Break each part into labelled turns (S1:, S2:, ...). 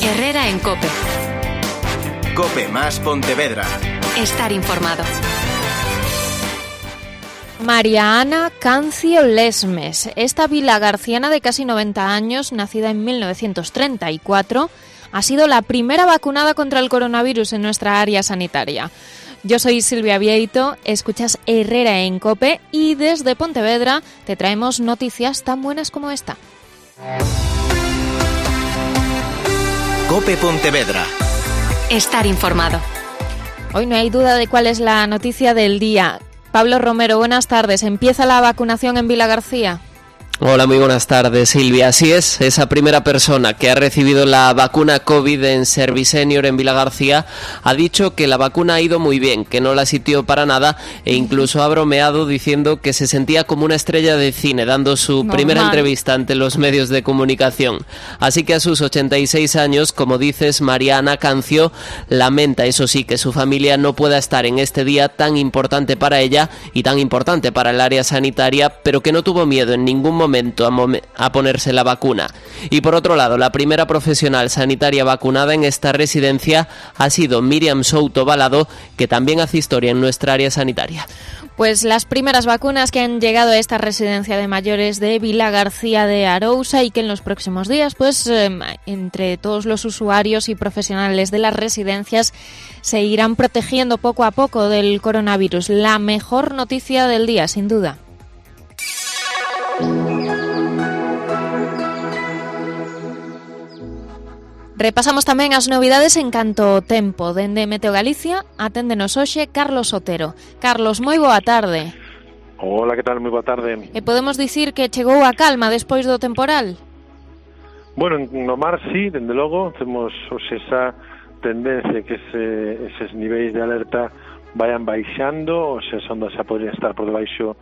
S1: Herrera en COPE.
S2: COPE más Pontevedra.
S1: Estar informado.
S3: María Ana Cancio Lesmes. Esta vilagarciana de casi 90 años, nacida en 1934, ha sido la primera vacunada contra el coronavirus en nuestra área sanitaria. Yo soy Silvia Vieito, escuchas Herrera en COPE y desde Pontevedra te traemos noticias tan buenas como esta.
S2: COPE Pontevedra.
S1: Estar informado.
S3: Hoy no hay duda de cuál es la noticia del día. Pablo Romero, buenas tardes. ¿Empieza la vacunación en Vilagarcía?
S4: Hola, muy buenas tardes, Silvia. Así es, esa primera persona que ha recibido la vacuna COVID en Servicenior en Vilagarcía ha dicho que la vacuna ha ido muy bien, que no la sintió para nada e incluso ha bromeado diciendo que se sentía como una estrella de cine dando su primera entrevista ante los medios de comunicación. Así que a sus 86 años, como dices, María Ana Cancio lamenta, eso sí, que su familia no pueda estar en este día tan importante para ella y tan importante para el área sanitaria, pero que no tuvo miedo en ningún momento a ponerse la vacuna. Y por otro lado, la primera profesional sanitaria vacunada en esta residencia ha sido Miriam Souto Balado, que también hace historia en nuestra área sanitaria.
S3: Pues las primeras vacunas que han llegado a esta residencia de mayores de Vilagarcía de Arousa y que en los próximos días, pues entre todos los usuarios y profesionales de las residencias se irán protegiendo poco a poco del coronavirus. La mejor noticia del día, sin duda. Repasamos tamén as novidades en canto ao tempo. Dende Meteo Galicia, aténdenos hoxe Carlos Otero. Carlos, moi boa tarde.
S5: Hola, que tal? Moi boa tarde.
S3: E podemos dicir que chegou a calma despois do temporal?
S5: Bueno, no mar sí, dende logo, temos esa tendencia que eses niveis de alerta vayan baixando, as ondas xa podrían estar por debaixo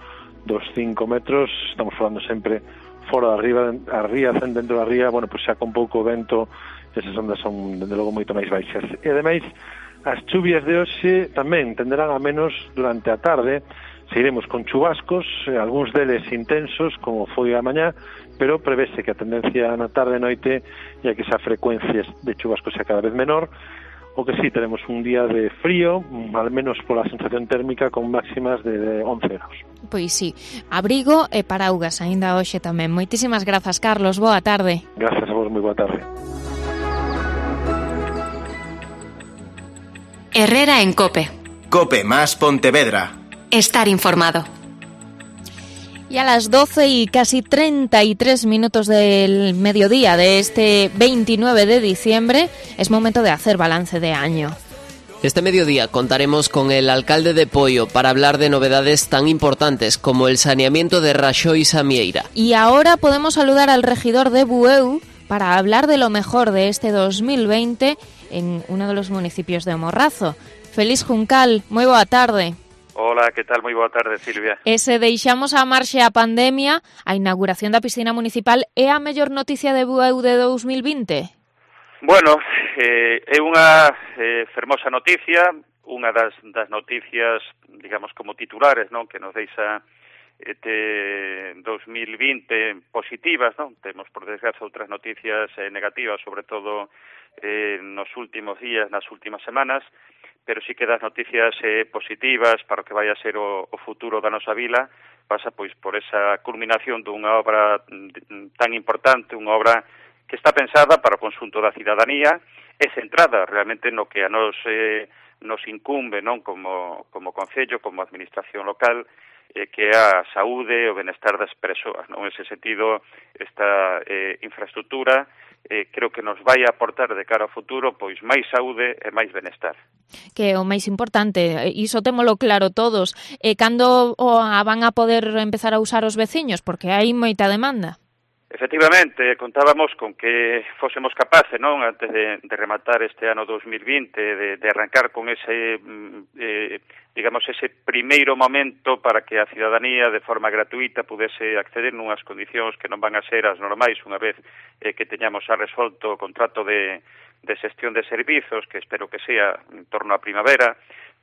S5: dos 5 metros, estamos falando sempre fora da ría, dentro da ría, bueno, pois xa con pouco vento, esas ondas son, dende logo, moito máis baixas. E, ademais, as chuvias de hoxe tamén tenderán a menos durante a tarde, seguiremos con chubascos, algúns deles intensos, como foi a mañá, pero prevese que a tendencia na tarde e noite é que esa frecuencia de chubascos sea cada vez menor, o que sí, tenemos un día de frío, al menos pola sensación térmica, con máximas de 11 graus.
S3: Pois sí, abrigo e paraugas aínda hoxe tamén. Moitísimas grazas, Carlos, boa tarde.
S5: Grazas a vos, moi boa tarde.
S1: Herrera en COPE.
S2: COPE más Pontevedra.
S1: Estar informado.
S3: Y a las 12 y casi 33 minutos del mediodía de este 29 de diciembre es momento de hacer balance de año.
S4: Este mediodía contaremos con el alcalde de Poio para hablar de novedades tan importantes como el saneamiento de Raxó y Samieira.
S3: Y ahora podemos saludar al regidor de Bueu para hablar de lo mejor de este 2020 en uno de los municipios de Morrazo. Feliz Juncal, moi boa tarde.
S6: Hola, que tal? Moi boa tarde, Silvia.
S3: E se deixamos a marxe a pandemia, a inauguración da piscina municipal é a mellor noticia de Bueu de 2020?
S6: Bueno, é unha fermosa noticia, unha das noticias, digamos, como titulares, non, que nos deixa este 2020 positivas, non? Temos, por desgracia, outras noticias negativas, sobre todo nos últimos días, nas últimas semanas, pero sí que das noticias positivas para o que vai a ser o futuro da nosa vila, pasa pois por esa culminación dunha obra tan importante, unha obra que está pensada para o conxunto da cidadanía e centrada realmente no que a nos incumbe, non, como concello, como administración local, que é a saúde e o benestar das persoas, non? En ese sentido, esta infraestructura creo que nos vai aportar de cara ao futuro pois máis saúde e máis benestar.
S3: Que é o máis importante, iso témolo claro todos. E cando van a poder empezar a usar os veciños? Porque hai moita demanda.
S6: Efectivamente, contábamos con que fósemos capaces, non, antes de rematar este ano 2020, de arrancar con ese, digamos, ese primeiro momento para que a cidadanía de forma gratuita pudese acceder nunhas condicións que non van a ser as normais unha vez que teñamos a resolto o contrato de xestión de servizos, que espero que sea en torno á primavera,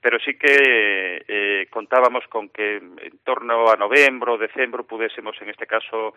S6: pero sí que contábamos con que en torno a novembro, decembro, pudésemos, en este caso,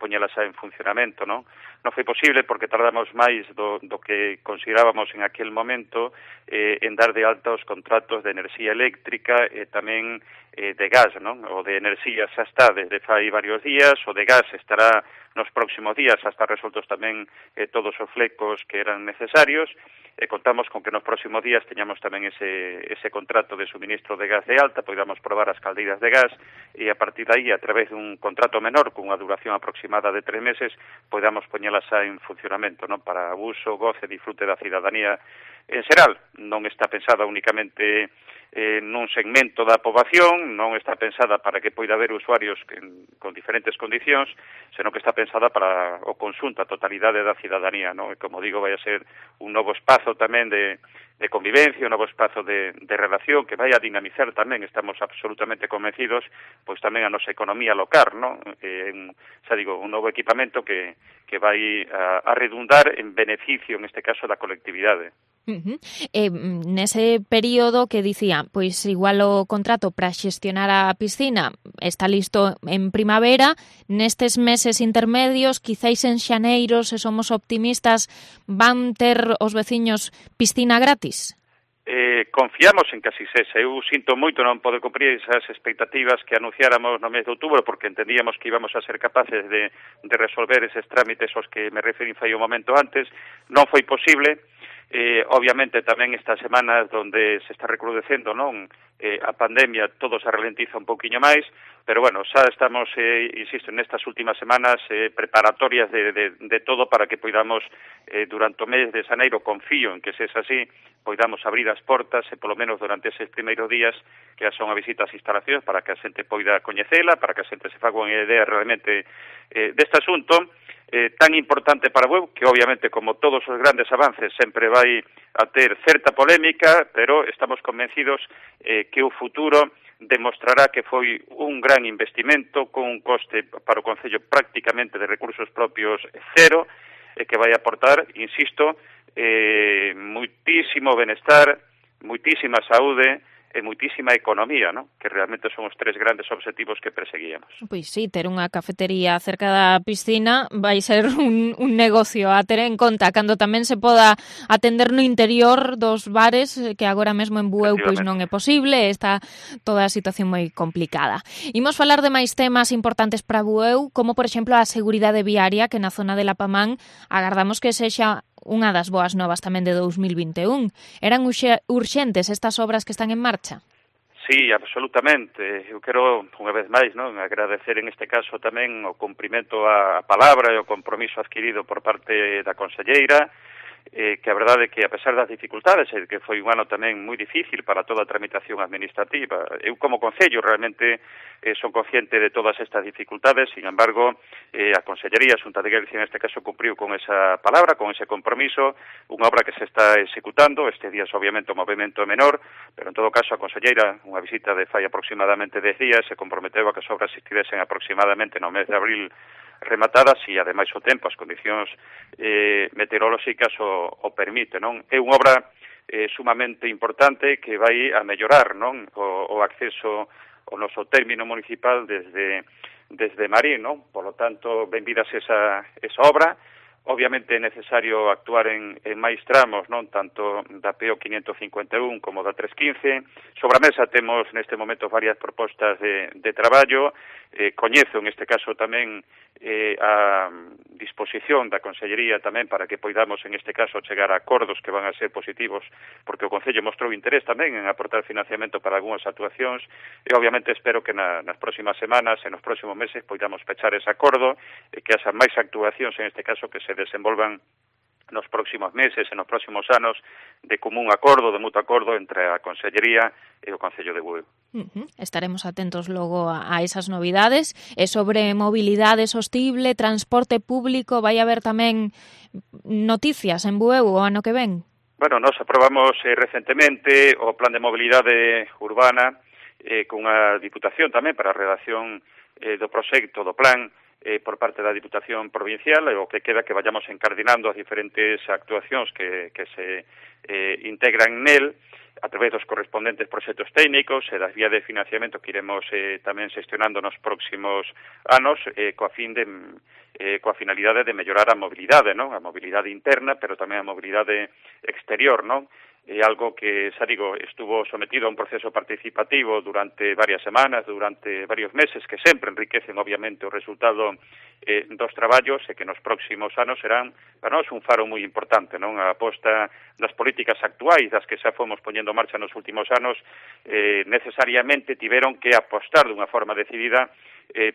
S6: poñelas en funcionamento, non? Non foi posible porque tardamos máis do que considerábamos en aquel momento en dar de alta os contratos de enerxía eléctrica e tamén de gas, non? O de enerxía xa está desde fai varios días, o de gas estará nos próximos días, xa está resoltos tamén todos os flecos que eran necesarios, e contamos con que nos próximos días teñamos tamén ese contrato de suministro de gas de alta, podamos probar as caldeiras de gas, e a partir de aí, a través dun contrato menor, con unha duración aproximada de 3 meses, podamos poñelas en funcionamento, non? Para uso, goce, disfrute da cidadanía en xeral. Non está pensada únicamente nun segmento da poboación, non está pensada para que poida haber usuarios con diferentes condicións, senón que está pensada para o conxunto, a totalidade da cidadanía, non? E, como digo, vai a ser un novo espazo tamén de convivencia, un novo espazo de relación que vai a dinamizar tamén, estamos absolutamente convencidos, pois tamén a nosa economía local, non? Xa digo, un novo equipamento que vai a redundar en beneficio, en este caso, da colectividade.
S3: Nese período que dicía, pois igual o contrato para xestionar a piscina está listo en primavera, nestes meses intermedios, quizáis en xaneiro, se somos optimistas, van ter os veciños piscina gratis?
S6: Confiamos en que así sexa. Eu sinto moito non poder cumprir esas expectativas que anunciáramos no mes de outubro, porque entendíamos que íbamos a ser capaces de resolver eses trámites aos que me referín fai un momento antes. Non foi posible. Obviamente tamén estas semanas donde se está recrudecendo, non? A pandemia todo se ralentiza un pouquiño máis, pero bueno, xa estamos, insisto, nestas últimas semanas preparatorias de todo para que poidamos durante o mes de xaneiro, confío en que se es así, poidamos abrir as portas e polo menos durante eses primeiros días que son a visita ás instalacións para que a xente poida coñecela, para que a xente se faga unha idea realmente deste asunto tan importante para Bueu, que obviamente, como todos os grandes avances, sempre vai a ter certa polémica, pero estamos convencidos que o futuro demostrará que foi un gran investimento con un coste para o Concello prácticamente de recursos propios cero, e que vai aportar, insisto, muitísimo benestar, muitísima saúde e muitísima economía, ¿no? Que realmente son os 3 grandes obxectivos que perseguíamos.
S3: Pois sí, ter unha cafetería cerca da piscina vai ser un negocio a ter en conta cando tamén se poda atender no interior dos bares, que agora mesmo en Bueu pois non é posible, está toda a situación moi complicada. Imos falar de máis temas importantes para Bueu, como por exemplo a seguridade viaria, que na zona de Lapamán agardamos que sexa unha das boas novas tamén de 2021. Eran urxentes estas obras que están en marcha?
S6: Sí, absolutamente. Eu quero, unha vez máis, non, agradecer en este caso tamén o cumprimento á palabra e o compromiso adquirido por parte da conselleira, que a verdade é que, a pesar das dificultades, que foi un ano tamén moi difícil para toda a tramitación administrativa, eu como Concello realmente son consciente de todas estas dificultades, sin embargo, a Consellería, a Xunta de Galicia, en este caso, cumpriu con esa palabra, con ese compromiso, unha obra que se está executando, este días obviamente o movimento é menor, pero en todo caso a Conselleira, unha visita de fai aproximadamente 10 días, se comprometeu a que as obras estivesen aproximadamente no mes de abril rematadas e, ademais, o tempo, as condicións meteorolóxicas o permite, non? É unha obra sumamente importante que vai a mellorar, non? O acceso ao noso término municipal desde Marín, non? Por lo tanto, benvidas esa obra. Obviamente é necesario actuar en máis tramos, non, tanto da PO 551 como da 315. Sobre a mesa temos neste momento varias propostas de traballo. Coñezo, en este caso, tamén a disposición da Consellería tamén para que poidamos, en este caso, chegar a acordos que van a ser positivos, porque o Concello mostrou interés tamén en aportar financiamento para algunhas actuacións, e obviamente espero que nas próximas semanas e nos próximos meses poidamos pechar ese acordo e que haxa máis actuacións, en este caso, que se desenvolvan nos próximos meses e nos próximos anos de común acordo, de mutuo acordo entre a Consellería e o Concello de Bueu.
S3: Estaremos atentos logo a esas novidades. E sobre mobilidade sostible, transporte público, vai haber tamén noticias en Bueu o ano que ven?
S6: Bueno, nos aprobamos recentemente o Plan de Mobilidade Urbana con a Diputación tamén para a redacción do proxecto do plan por parte da Diputación Provincial, e o que queda que vayamos encardinando as diferentes actuacións que se integran nel, a través dos correspondentes proxectos técnicos e das vías de financiamento que iremos tamén xestionando nos próximos anos coa finalidade de mellorar a mobilidade, non? A mobilidade interna, pero tamén a mobilidade exterior, non? É algo que, xa digo, estuvo sometido a un proceso participativo durante varias semanas, durante varios meses, que sempre enriquecen, obviamente, o resultado dos traballos e que nos próximos anos serán, para nós, un faro moi importante, non? A aposta das políticas actuais, das que xa fomos poñendo en marcha nos últimos anos, necesariamente tiveron que apostar dunha forma decidida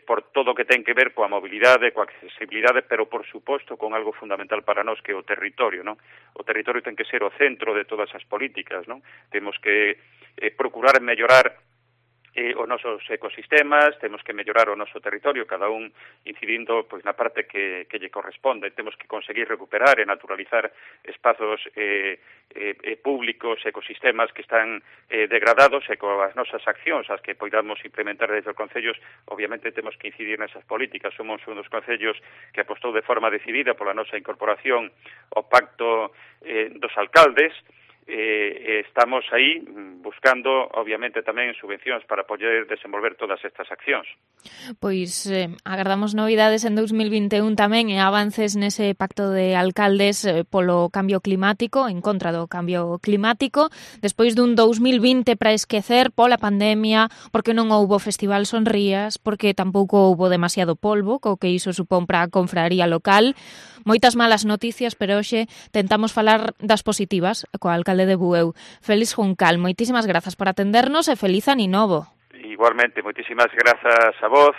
S6: por todo o que ten que ver coa mobilidade, coa accesibilidade, pero, por suposto, con algo fundamental para nós, que é o territorio, non? O territorio ten que ser o centro de todas as políticas, non? Temos que procurar mellorar os nosos ecosistemas, temos que mellorar o noso territorio, cada un incidindo pois na parte que lle corresponde. Temos que conseguir recuperar e naturalizar espazos públicos, ecosistemas que están degradados, e coas nosas accións, as que poidamos implementar desde os concellos, obviamente temos que incidir nesas políticas. Somos un dos concellos que apostou de forma decidida pola nosa incorporación ao pacto dos alcaldes. Estamos aí buscando, obviamente, tamén subvencións para poder desenvolver todas estas accións.
S3: Pois agardamos novidades en 2021 tamén e avances nese pacto de alcaldes polo cambio climático, en contra do cambio climático, despois dun 2020 para esquecer pola pandemia, porque non houbo Festival Sonrías, porque tampouco houbo demasiado polvo, co que iso supón para a confraría local. Moitas malas noticias, pero hoxe tentamos falar das positivas coa alcalde de Bueu. Félix Juncal, moitísimas grazas por atendernos e feliz ano novo.
S6: Igualmente, moitísimas grazas a vos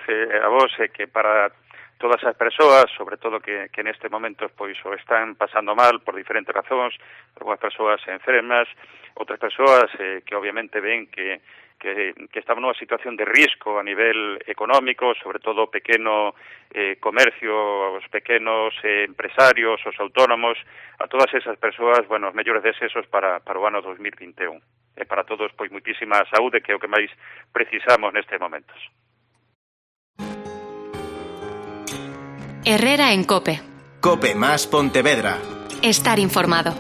S6: que para todas as persoas, sobre todo que neste momento pois o están pasando mal por diferentes razóns, algunhas persoas enfermas, outras persoas que obviamente ven que estamos nunha situación de risco a nivel económico, sobre todo o pequeno comercio, os pequenos empresarios, os autónomos, a todas esas persoas, bueno, os mellores deseos para o ano 2021. E para todos, pois, moitísima saúde, que é o que máis precisamos nestes momentos.
S1: Herrera en COPE.
S2: COPE más Pontevedra.
S1: Estar informado.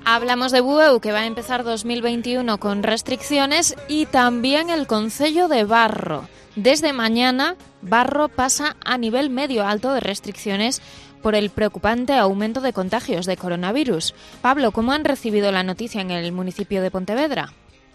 S3: Hablamos de Bueu, que va a empezar 2021 con restricciones, y también el concello de Barro. Desde mañana, Barro pasa a nivel medio alto de restricciones por el preocupante aumento de contagios de coronavirus. Pablo, ¿cómo han recibido la noticia en el municipio de Pontevedra?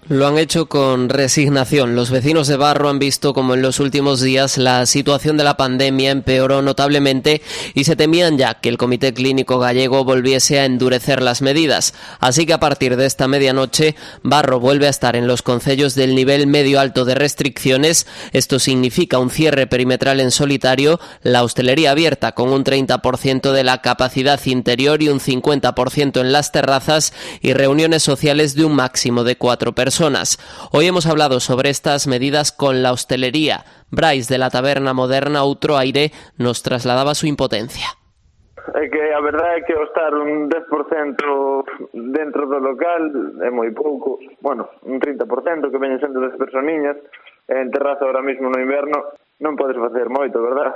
S4: Lo han hecho con resignación. Los vecinos de Barro han visto como en los últimos días la situación de la pandemia empeoró notablemente y se temían ya que el Comité Clínico Gallego volviese a endurecer las medidas. Así que a partir de esta medianoche, Barro vuelve a estar en los concellos del nivel medio-alto de restricciones. Esto significa un cierre perimetral en solitario, la hostelería abierta con un 30% de la capacidad interior y un 50% en las terrazas, y reuniones sociales de un máximo de 4 personas. Hoy hemos hablado sobre estas medidas con la hostelería. Brais, de la taberna moderna Outro Aire, nos trasladaba su impotencia.
S7: É que a verdade é que ao estar un 10% dentro do local é moi pouco, bueno, un 30% que veñen sendo das personiñas, en terraza ahora mesmo no inverno non podes facer moito, verdad?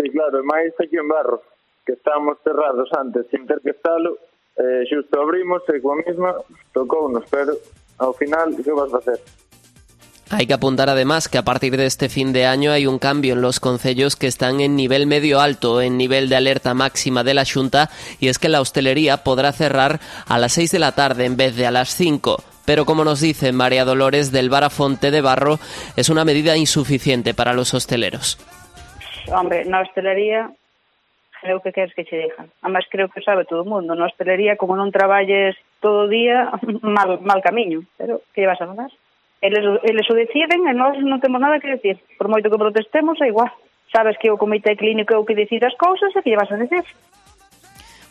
S7: E claro, máis aquí en Barro, que estamos cerrados antes sin ter que estalo, xusto abrimos e coa mesma tocounos, pero ao final, ¿qué vas a hacer?
S4: Hay que apuntar además que a partir de este fin de año hay un cambio en los concellos que están en nivel medio alto, en nivel de alerta máxima de la Xunta, y es que la hostelería podrá cerrar a las 6 de la tarde en vez de a las 5. Pero como nos dice María Dolores del Bar Afonte de Barro, es una medida insuficiente para los hosteleros.
S8: Hombre, na hostelería, creo que queres que che digan. Además, creo que sabe todo o mundo. Na hostelería, como non traballes todo o día, mal camiño. Pero, que vas a mandar? Eles o deciden e nós non temos nada que decir. Por moito que protestemos, é igual. Sabes que o Comité Clínico é o que decide as cousas e que lle vas a decir.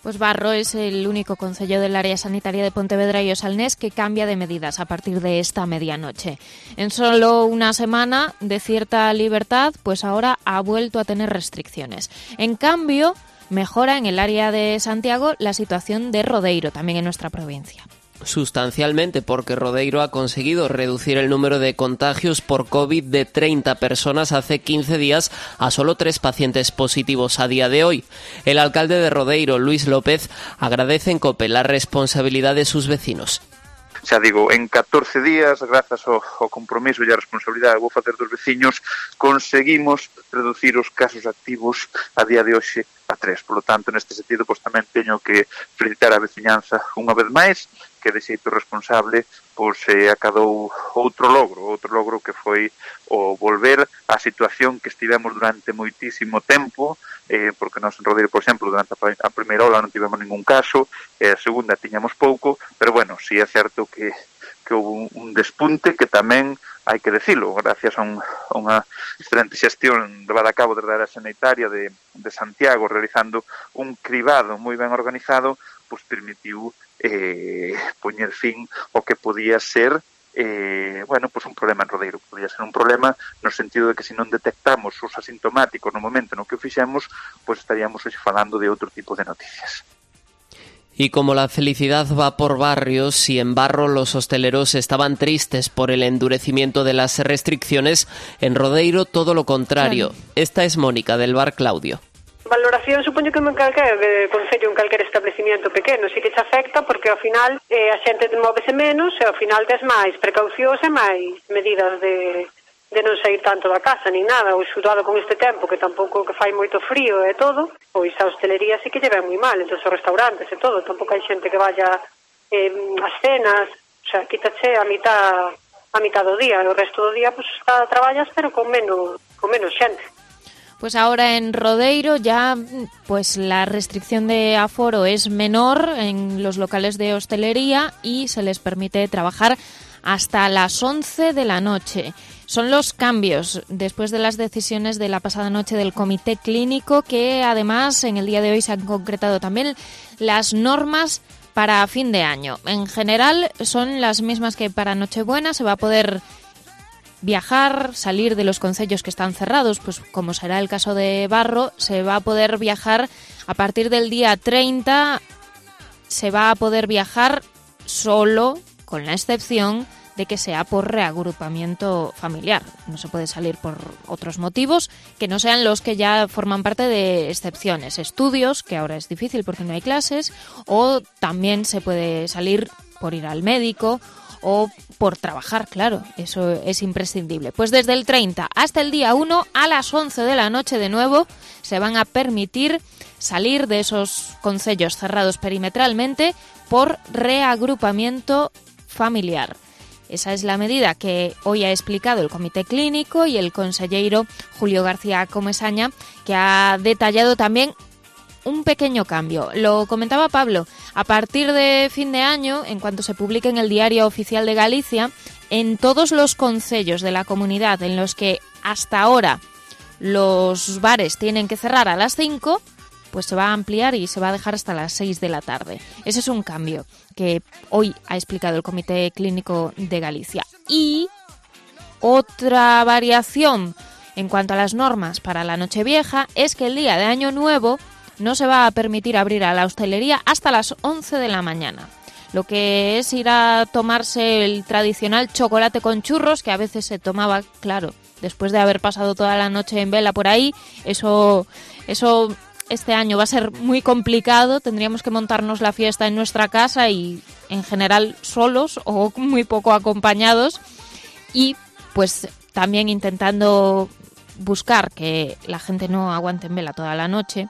S3: Pues Barro es el único concello del área sanitaria de Pontevedra y Osalnés que cambia de medidas a partir de esta medianoche. En solo una semana de cierta libertad, pues ahora ha vuelto a tener restricciones. En cambio, mejora en el área de Santiago la situación de Rodeiro, también en nuestra provincia.
S4: Sustancialmente, porque Rodeiro ha conseguido reducir el número de contagios por COVID de 30 personas hace 15 días a solo 3 pacientes positivos a día de hoy. El alcalde de Rodeiro, Luis López, agradece en COPE la responsabilidad de sus vecinos.
S9: Xa digo, en 14 días, grazas ao compromiso e a responsabilidade que vou facer dos veciños, conseguimos reducir os casos activos a día de hoxe a 3. Por lo tanto, neste sentido, pois tamén teño que felicitar a veciñanza unha vez máis, que de xeito responsable pois acadou outro logro que foi o volver á situación que estivemos durante moitísimo tempo, porque nós en Rodeiro, por exemplo, durante a primeira ola non tivemos ningún caso, a segunda tiñamos pouco, pero bueno, si é certo que houve un despunte que tamén hai que decilo, gracias a unha excelente xestión levada a cabo desde a área sanitaria de Santiago, realizando un cribado moi ben organizado, pois permitiu poñer fin ao que podía ser un problema en Rodeiro. Podía ser un problema no sentido de que se non detectamos os asintomáticos no momento no que o fixemos, pois estaríamos hoxe falando de outro tipo de noticias.
S4: Y como la felicidad va por barrios, si en Barro los hosteleros estaban tristes por el endurecimiento de las restricciones, en Rodeiro todo lo contrario. Claro. Esta es Mónica, del bar Claudio.
S10: Valoración, supoño que en calquer concello, en calquer establecimiento pequeno, si que te afecta porque ao final a xente móvese menos e ao final tes máis precaucións e máis medidas de non sair tanto da casa, nin nada, ou xudado con este tempo que tampouco que fai moito frío e todo, pois a hostelería sí que lle ven moi mal, entón os restaurantes e todo, tampouco hai xente que vaya ás cenas, o sea, quítache a mitad do día, e o resto do día pues traballas pero con menos xente.
S3: Pues ahora en Rodeiro ya pues la restricción de aforo es menor en los locales de hostelería y se les permite trabajar hasta las 11 de la noche. Son los cambios después de las decisiones de la pasada noche del Comité Clínico, que además en el día de hoy se han concretado también las normas para fin de año. En general son las mismas que para Nochebuena. Se va a poder viajar, salir de los concellos que están cerrados, pues como será el caso de Barro, se va a poder viajar a partir del día 30, se va a poder viajar solo, con la excepción de que sea por reagrupamiento familiar. No se puede salir por otros motivos que no sean los que ya forman parte de excepciones. Estudios, que ahora es difícil porque no hay clases, o también se puede salir por ir al médico o por trabajar, claro, eso es imprescindible. Pues desde el 30 hasta el día 1 a las 11 de la noche de nuevo se van a permitir salir de esos concellos cerrados perimetralmente por reagrupamiento familiar. Esa es la medida que hoy ha explicado el Comité Clínico y el conselleiro Julio García Comesaña, que ha detallado también un pequeño cambio. Lo comentaba Pablo, a partir de fin de año, en cuanto se publique en el Diario Oficial de Galicia, en todos los concellos de la comunidad en los que hasta ahora los bares tienen que cerrar a las 5, pues se va a ampliar y se va a dejar hasta las 6 de la tarde. Ese es un cambio que hoy ha explicado el Comité Clínico de Galicia. Y otra variación en cuanto a las normas para la Nochevieja es que el día de Año Nuevo no se va a permitir abrir a la hostelería hasta las 11 de la mañana. Lo que es ir a tomarse el tradicional chocolate con churros, que a veces se tomaba, claro, después de haber pasado toda la noche en vela por ahí, eso este año va a ser muy complicado. Tendríamos que montarnos la fiesta en nuestra casa y en general solos o muy poco acompañados, y pues también intentando buscar que la gente no aguante en vela toda la noche,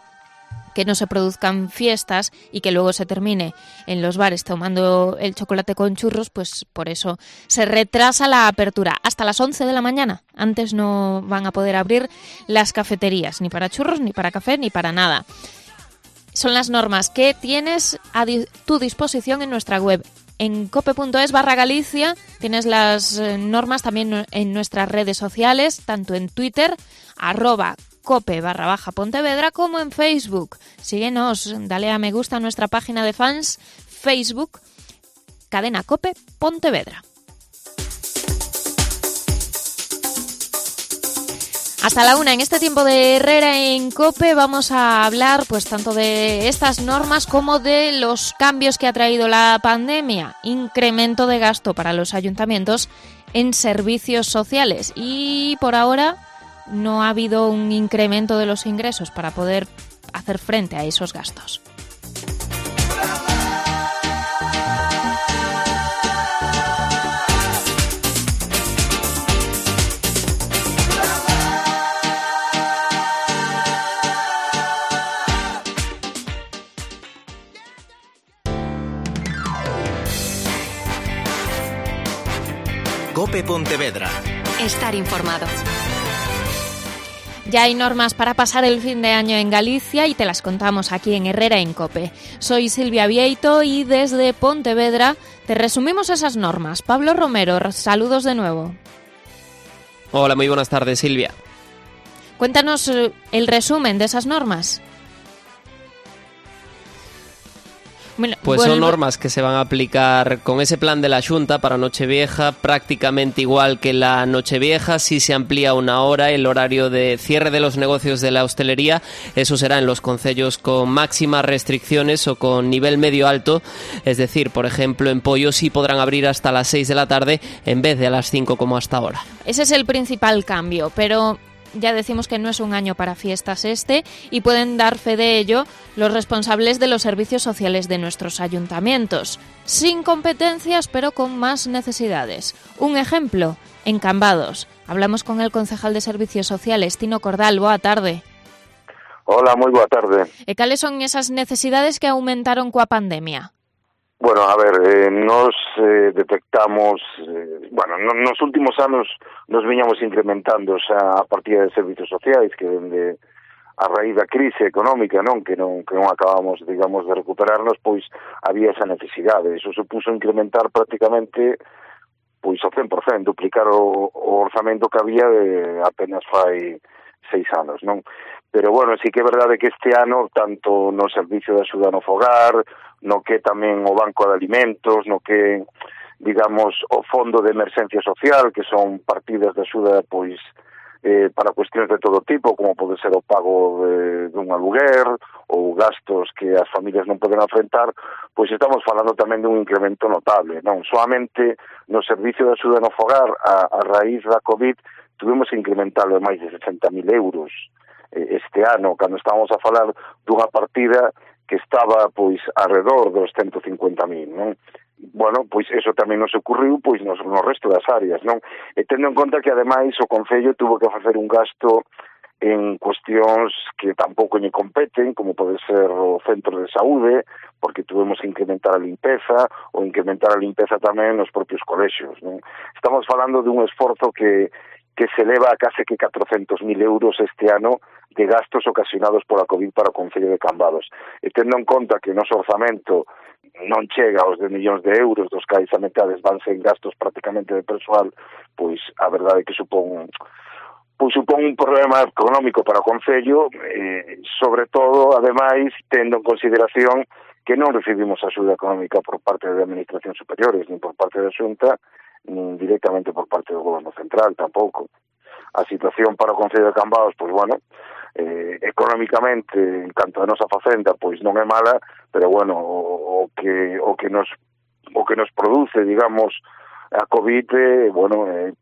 S3: que no se produzcan fiestas y que luego se termine en los bares tomando el chocolate con churros. Pues por eso se retrasa la apertura hasta las 11 de la mañana. Antes no van a poder abrir las cafeterías, ni para churros, ni para café, ni para nada. Son las normas que tienes a tu disposición en nuestra web. En cope.es/Galicia tienes las normas también en nuestras redes sociales, tanto en Twitter, @cope_Pontevedra, como en Facebook. Síguenos, dale a me gusta a nuestra página de fans, Facebook, Cadena Cope Pontevedra. Hasta la 1, en este tiempo de Herrera en COPE vamos a hablar pues tanto de estas normas como de los cambios que ha traído la pandemia. Incremento de gasto para los ayuntamientos en servicios sociales y por ahora no ha habido un incremento de los ingresos para poder hacer frente a esos gastos.
S2: COPE Pontevedra.
S1: Estar informado.
S3: Ya hay normas para pasar el fin de año en Galicia y te las contamos aquí en Herrera en COPE. Soy Silvia Vieito y desde Pontevedra te resumimos esas normas. Pablo Romero, saludos de nuevo.
S4: Hola, muy buenas tardes, Silvia.
S3: Cuéntanos el resumen de esas normas.
S4: Pues son normas que se van a aplicar con ese plan de la Xunta para Nochevieja, prácticamente igual que la Nochevieja. Si se amplía una hora el horario de cierre de los negocios de la hostelería, eso será en los concellos con máximas restricciones o con nivel medio alto, es decir, por ejemplo, en Poio sí podrán abrir hasta las 6 de la tarde en vez de a las 5 como hasta ahora.
S3: Ese es el principal cambio, pero ya decimos que no es un año para fiestas y pueden dar fe de ello los responsables de los servicios sociales de nuestros ayuntamientos. Sin competencias, pero con más necesidades. Un ejemplo, en Cambados. Hablamos con el concejal de Servicios Sociales, Tino Cordal. Boa tarde.
S11: Hola, moi boa tarde.
S3: E cales son esas necesidades que aumentaron coa pandemia?
S11: Bueno, a ver, nos detectamos, nos últimos anos nos viñamos incrementando xa a partida de servicios sociais que dende a raíz da crise económica, que non acabamos, digamos, de recuperarnos, pois había esa necesidade. Eso supuso incrementar prácticamente pois ao 100%, duplicar o orzamento que había de apenas fai 6 anos, non? Pero, bueno, sí que é verdade que este ano, tanto no servicio de axuda no fogar, no que tamén o Banco de Alimentos, no que, digamos, o Fondo de Emerxencia Social, que son partidas de axuda, pois, para cuestións de todo tipo, como pode ser o pago dun aluguer ou gastos que as familias non poden afrontar, pois estamos falando tamén dun incremento notable, non? Solamente no servicio de axuda no fogar, a raíz da COVID, tuvimos que incrementarlo de máis de 60.000 euros este ano, cando estábamos a falar dunha partida que estaba, pois, alrededor dos 150.000, non? Bueno, pois eso tamén nos ocurriu, pois, no resto das áreas, non? E tendo en conta que, ademais, o Concello tuvo que facer un gasto en cuestións que tampouco lle competen, como pode ser o centro de saúde, porque tuvemos que incrementar a limpeza, ou incrementar a limpeza tamén nos propios colexios, non? Estamos falando dun esforzo que se eleva a case que 400.000 euros este ano de gastos ocasionados pola COVID para o Concello de Cambados. E tendo en conta que o noso orzamento non chega aos 10 millóns de euros, dos cais a metades van ser gastos prácticamente de persoal, pois a verdade é que supón un problema económico para o Concello, sobre todo, ademais, tendo en consideración que non recibimos axuda económica por parte de administracións superiores, nin por parte da Xunta, nin directamente por parte do Goberno Central, tampouco. A situación para o Concello de Cambados, pois, bueno, económicamente, en canto a nosa facenda, pois non é mala, pero, bueno, o que nos produce, digamos, a COVID,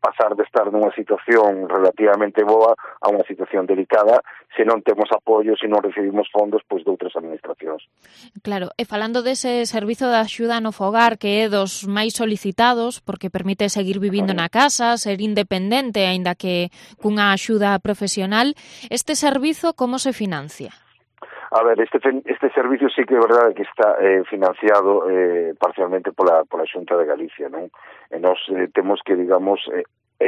S11: pasar de estar nunha situación relativamente boa a unha situación delicada se non temos apoio, se non recibimos fondos pois de outras administracións.
S3: Claro, e falando dese servizo de axuda no fogar que é dos máis solicitados porque permite seguir vivindo na casa, ser independente, aínda que cunha axuda profesional, este servizo como se financia?
S11: A ver, este servicio sí que é verdade que está financiado parcialmente pola Xunta de Galicia, non? E nos temos que, digamos,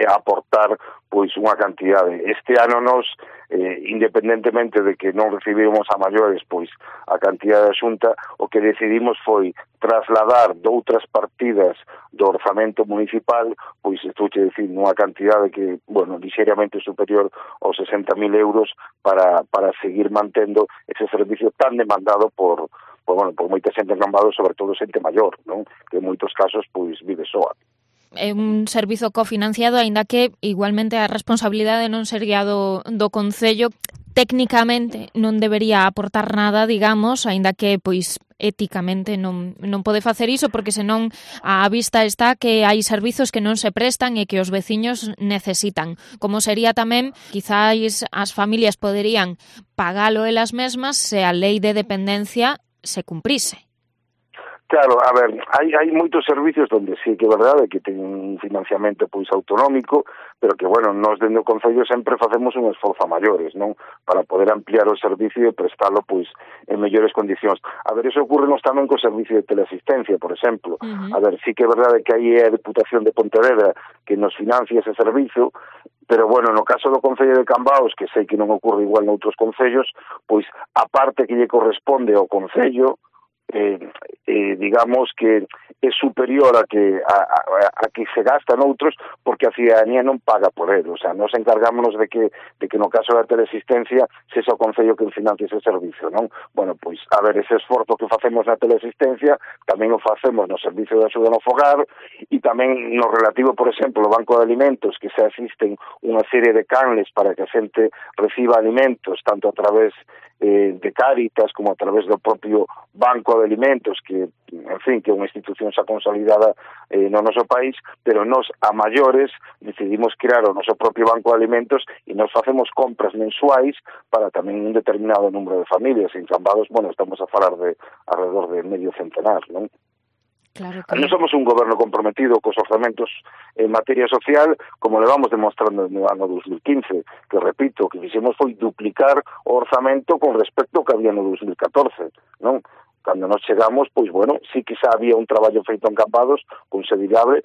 S11: aportar pois unha cantidade. Este ano nos, independentemente de que non recibimos a maiores pois a cantidade da Xunta, o que decidimos foi trasladar doutras partidas do orzamento municipal, pois estou che dicir nunha cantidade que, lixeiramente superior aos 60.000 euros para seguir mantendo ese servicio tan demandado por moita xente en Cambados, sobre todo xente maior, non? Que en moitos casos pois vive soa.
S3: é un servizo cofinanciado, aínda que igualmente a responsabilidade non sería do Concello. Técnicamente non debería aportar nada, digamos, aínda que pois éticamente non pode facer iso, porque senón á vista está que hai servizos que non se prestan e que os veciños necesitan. Como sería tamén, quizáis as familias poderían pagalo elas mesmas se a lei de dependencia se cumprise.
S11: Claro, a ver, hai moitos servicios onde sí que é verdade que ten un financiamento pois autonómico, pero que, bueno, nós dentro do Concello sempre facemos un esforzo a maiores, non? Para poder ampliar o servicio e prestalo pois en mellores condicións. A ver, eso ocurrenos tamén co servicio de teleasistencia, por exemplo. A ver, sí que é verdade que aí é a Deputación de Pontevedra que nos financia ese servicio, pero, bueno, no caso do Concello de Cambados, que sei que non ocurre igual noutros concellos, pois a parte que lle corresponde ao Concello, digamos que é superior a que se gasta noutros, porque a cidadanía non paga por él. O sea, nos encargámonos de que no caso da teleasistencia sexa o Concello que financie ese servicio, non? Bueno, pois, a ver, ese esforzo que facemos na teleasistencia tamén o facemos no servicio de axuda no fogar e tamén no relativo, por exemplo, ao Banco de Alimentos, que se asisten unha serie de canles para que a xente reciba alimentos, tanto a través de Cáritas como a través do propio Banco de Alimentos, que, en fin, que é unha institución xa consolidada no noso país, pero nós, a maiores, decidimos crear o noso propio Banco de Alimentos e nos facemos compras mensuais para tamén un determinado número de familias. En Cambados, bueno, estamos a falar de alrededor de medio centenar, non?
S3: Claro que...
S11: Non somos un goberno comprometido cos orzamentos en materia social, como levamos demostrando no ano 2015, que, repito, que fixemos foi duplicar o orzamento con respecto ao que había no 2014, non? Cando nos chegamos, pois, bueno, sí que xa había un traballo feito en Cambados, considerable,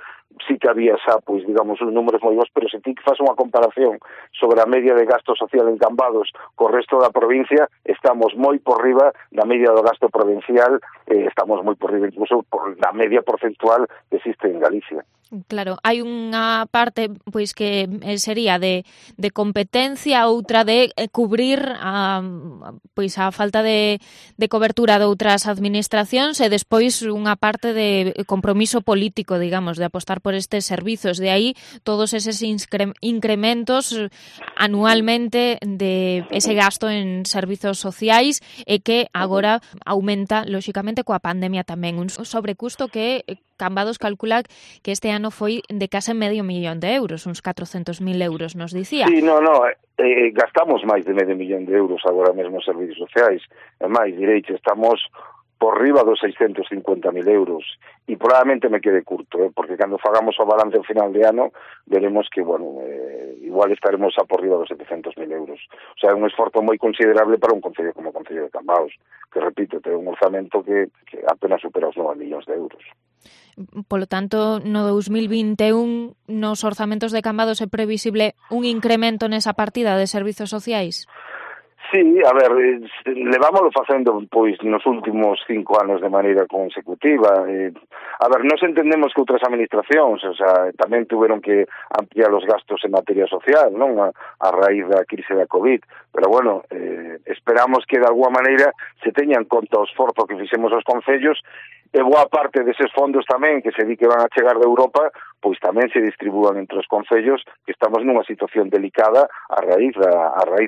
S11: sí que había xa, pois, digamos, uns números moi bons, pero se ti que faz unha comparación sobre a media de gasto social en Cambados co resto da provincia, estamos moi por riba da media do gasto provincial, estamos moi por riba incluso por da media porcentual que existe en Galicia.
S3: Claro, hai unha parte pois que sería de competencia, outra de cubrir a falta de cobertura de outras administracións e despois unha parte de compromiso político, digamos, de apostar por estes servizos. De aí todos eses incrementos anualmente de ese gasto en servizos sociais e que agora aumenta, lóxicamente, coa pandemia tamén. Un sobrecusto que Cambados calcula que este ano foi de case €500.000, uns 400.000 euros, nos dicía.
S11: Sí, gastamos máis de €500.000 agora mesmo en servicios sociais. E máis, direiche, estamos por riba dos 650.000 euros. E probablemente me quede curto, porque cando fagamos o balance ao final de ano, veremos que, bueno, igual estaremos a por riba dos 700.000 euros. O sea, é un esforzo moi considerable para un concello como o Concello de Cambados, que, repito, ten un orzamento que apenas supera os 9 millóns de euros.
S3: Polo tanto, no 2021, nos orzamentos de Cambados é previsible un incremento nesa partida de servizos sociais?
S11: Sí, a ver, levámoslo facendo pois nos últimos 5 anos de maneira consecutiva. A ver, nos entendemos que outras administracións, o sea, tamén tuveron que ampliar os gastos en materia social, non? A raíz da crise da COVID, pero bueno, esperamos que de alguma maneira se teña en conta o esforzo que fixemos os concellos e boa parte deses fondos tamén que se di que van a chegar de Europa, pois tamén se distribúan entre os concellos que estamos nunha situación delicada a raíz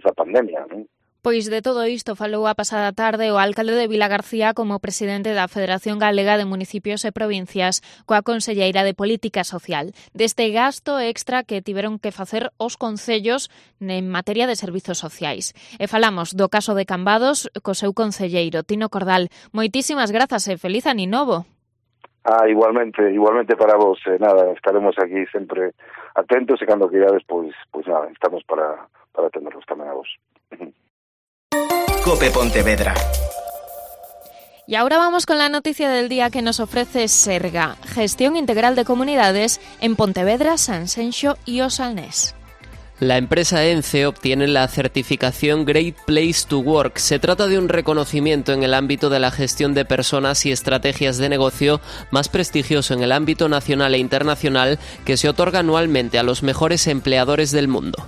S11: da pandemia, non?
S3: Pois de todo isto falou a pasada tarde o alcalde de Vilagarcía como presidente da Federación Galega de Municipios e Provincias coa conselleira de Política Social, deste gasto extra que tiveron que facer os concellos en materia de servizos sociais. E falamos do caso de Cambados co seu conselleiro, Tino Cordal. Moitísimas grazas e feliz ano novo.
S11: Igualmente para vos, nada, estaremos aquí sempre atentos e cando queirades, pois nada, estamos para atenderos tamén a vos.
S2: COPE Pontevedra.
S3: Y ahora vamos con la noticia del día que nos ofrece Serga, Gestión Integral de Comunidades en Pontevedra, Sanxenxo y Osalnés.
S4: La empresa ENCE obtiene la certificación Great Place to Work. Se trata de un reconocimiento en el ámbito de la gestión de personas y estrategias de negocio más prestigioso en el ámbito nacional e internacional que se otorga anualmente a los mejores empleadores del mundo.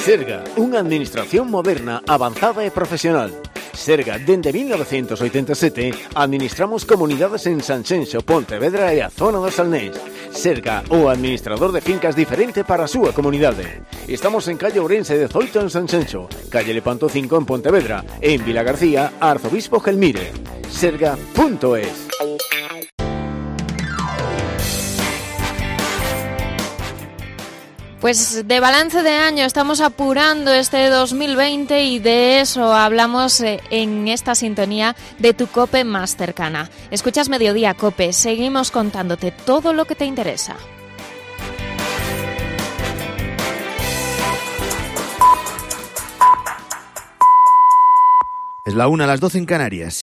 S12: Serga, unha administración moderna, avanzada e profesional. Serga, dende 1987, administramos comunidades en Sanxenxo, Pontevedra e a zona do Salnés. Serga, o administrador de fincas diferente para a súa comunidade. Estamos en calle Ourense 18 en Sanxenxo, calle Lepanto 5 en Pontevedra, e en Vilagarcía, Arzobispo Gelmire. Serga.es.
S3: Pues de balance de año estamos apurando este 2020 y de eso hablamos en esta sintonía de tu COPE más cercana. Escuchas Mediodía COPE, seguimos contándote todo lo que te interesa.
S13: Es la 1, a las 12 en Canarias.